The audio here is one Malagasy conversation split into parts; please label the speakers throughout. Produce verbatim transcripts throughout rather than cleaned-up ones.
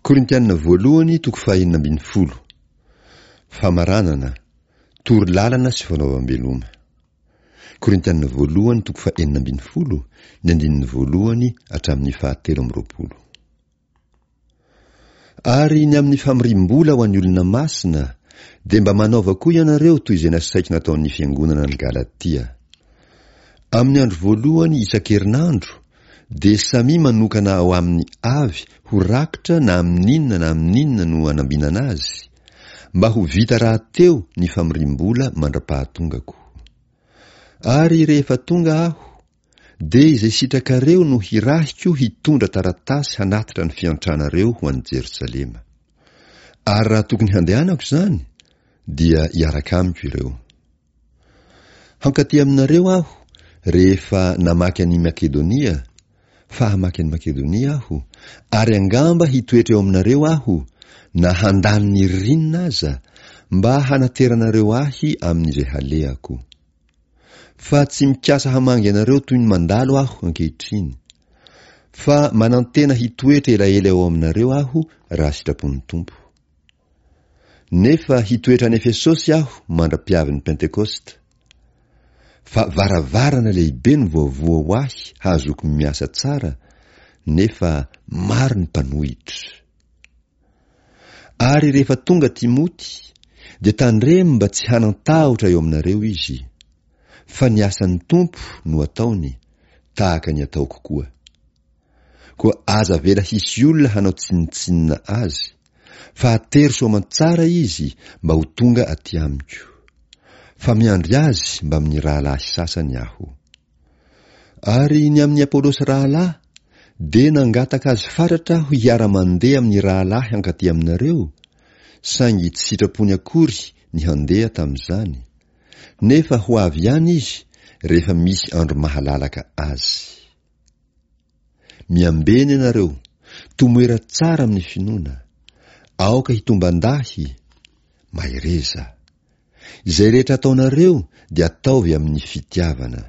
Speaker 1: Korintiana voalohany toko fahenina ambin'ny folo. Famaranana, toro lalana sy fanaovam-beloma. Korintiana voalohany toko fahenina ambin'ny folo, ny andininy voalohany hatramin'ny fahatelo amby roapolo. Ary ny amin'ny famoriam-bola ho an'ny olona masina, dia mba manaova koa ianareo toy izay nasaiko nataon'ny fiangonana any Galatia. Amin'ny andro voalohany isan-kerinandro dia samia manokana ao aminy avy ho rakitra na amin'inona na amin'inona no anambinana azy, mba ho vita rahateo ny famoriam-bola mandra-pahatongako. Ary rehefa tonga aho, dia izay sitrakareo no hirahiko hitondra taratasy hanatitra ny fiantranareo ho any Jerosalema. Ary raha tokony handehanako izany, dia hiaraka amiko ireo. Hankaty aminareo aho rehefa namaky an'i Makedonia, fa hamaky an'i Makedonia aho, ary angamba hitoetra eo aminareo aho, na handany ny ririnina aza, mba hanateranareo ahy amin'izay halehako. Fa tsy mikasa hamangy anareo toy ny mandalo aho ankehitriny. Fa manantena hitoetra elaela eo aminareo aho raha sitrapon'ny Tompo. Nefa hitoetra any Efesosy aho mandra-piavin'ny Pentekosta. Fa varavarana lehibe no voavoha ho ahy hahazoako miasa tsara, nefa maro ny mpanohitra. Ary rehefa tonga Timoty, dia tandremo mba tsy hanan-tahotra eo aminareo izy. Fa ny asan'ny Tompo no ataony, tahaka ny ataoko koa. Koa aza avela hisy olona hanao tsinontsinona azy, fa atero soamantsara izy mba ho tonga aty amiko. Fa miandry azy mbamin'ny rahalahy sasany aho. Ary ny amin'i Apolosy rahalahy, dia nangataka azy fatratra aho hiara-mandeha amin'ny rahalahy hankaty aminareo, saingy tsy sitrapony akory ny handeha tamin'izany. Nefa ho avy ihany izy rehefa misy andro mahalalaka azy. Miambena ianareo, tomoera tsara amin'ny finoana. Aoka hitomban-dahy, mahereza. Izay rehetra ataonareo dia ataovy amin'ny fitiavana.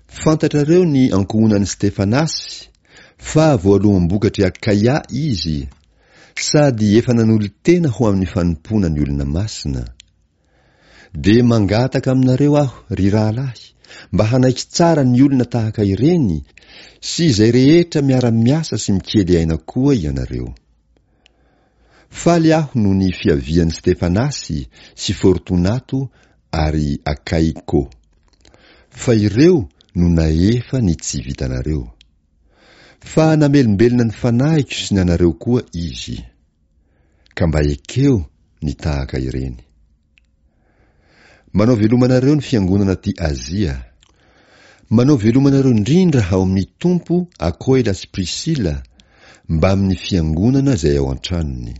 Speaker 1: Fantatrareo ny ankohonan'i Stefanasy, fa voaloham-bokatr'i Akaia izy, sady efa nanolo-tena ho amin'ny fanompoana ny olona masina. Dia mangataka aminareo aho, ry rahalahy, mba hanaiky tsara ny olona tahaka ireny sy izay rehetra miara-miasa sy mikely aina koa ianareo. Faly aho noho ny fiavian'i Stefanasy sy Fortonato ary Akaiko. Fa ireo no nahefa ny tsy vitanareo. Fa namelombelona ny fanahiko sy ny anareo koa izy. Ka mba ekeo ny tahaka ireny. Manao veloma anareo ny fiangonana aty Azia. Manao veloma anareo indrindra ao amin'ny Tompo Akoila sy Prisila, mbamin'ny fiangonana izay ao an-tranony.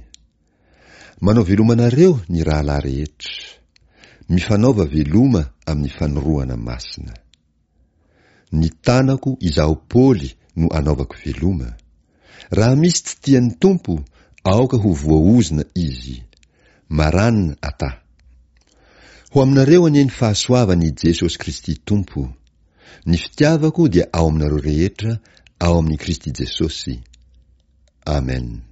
Speaker 1: Manao veloma anareo ny rahalahy rehetra. Mifanaova veloma amin'ny fanorohana masina. Ny tanako izaho Paoly no anaovako veloma. Raha misy tsy tian'ny Tompo, aoka ho voaozona izy. Maran ata. Ho aminareo anie ny fahasoavan'i Jesosy Kristy Tompo. Ny fitiavako dia ao aminareo rehetra ao amin'i Kristy Jesosy. Amen.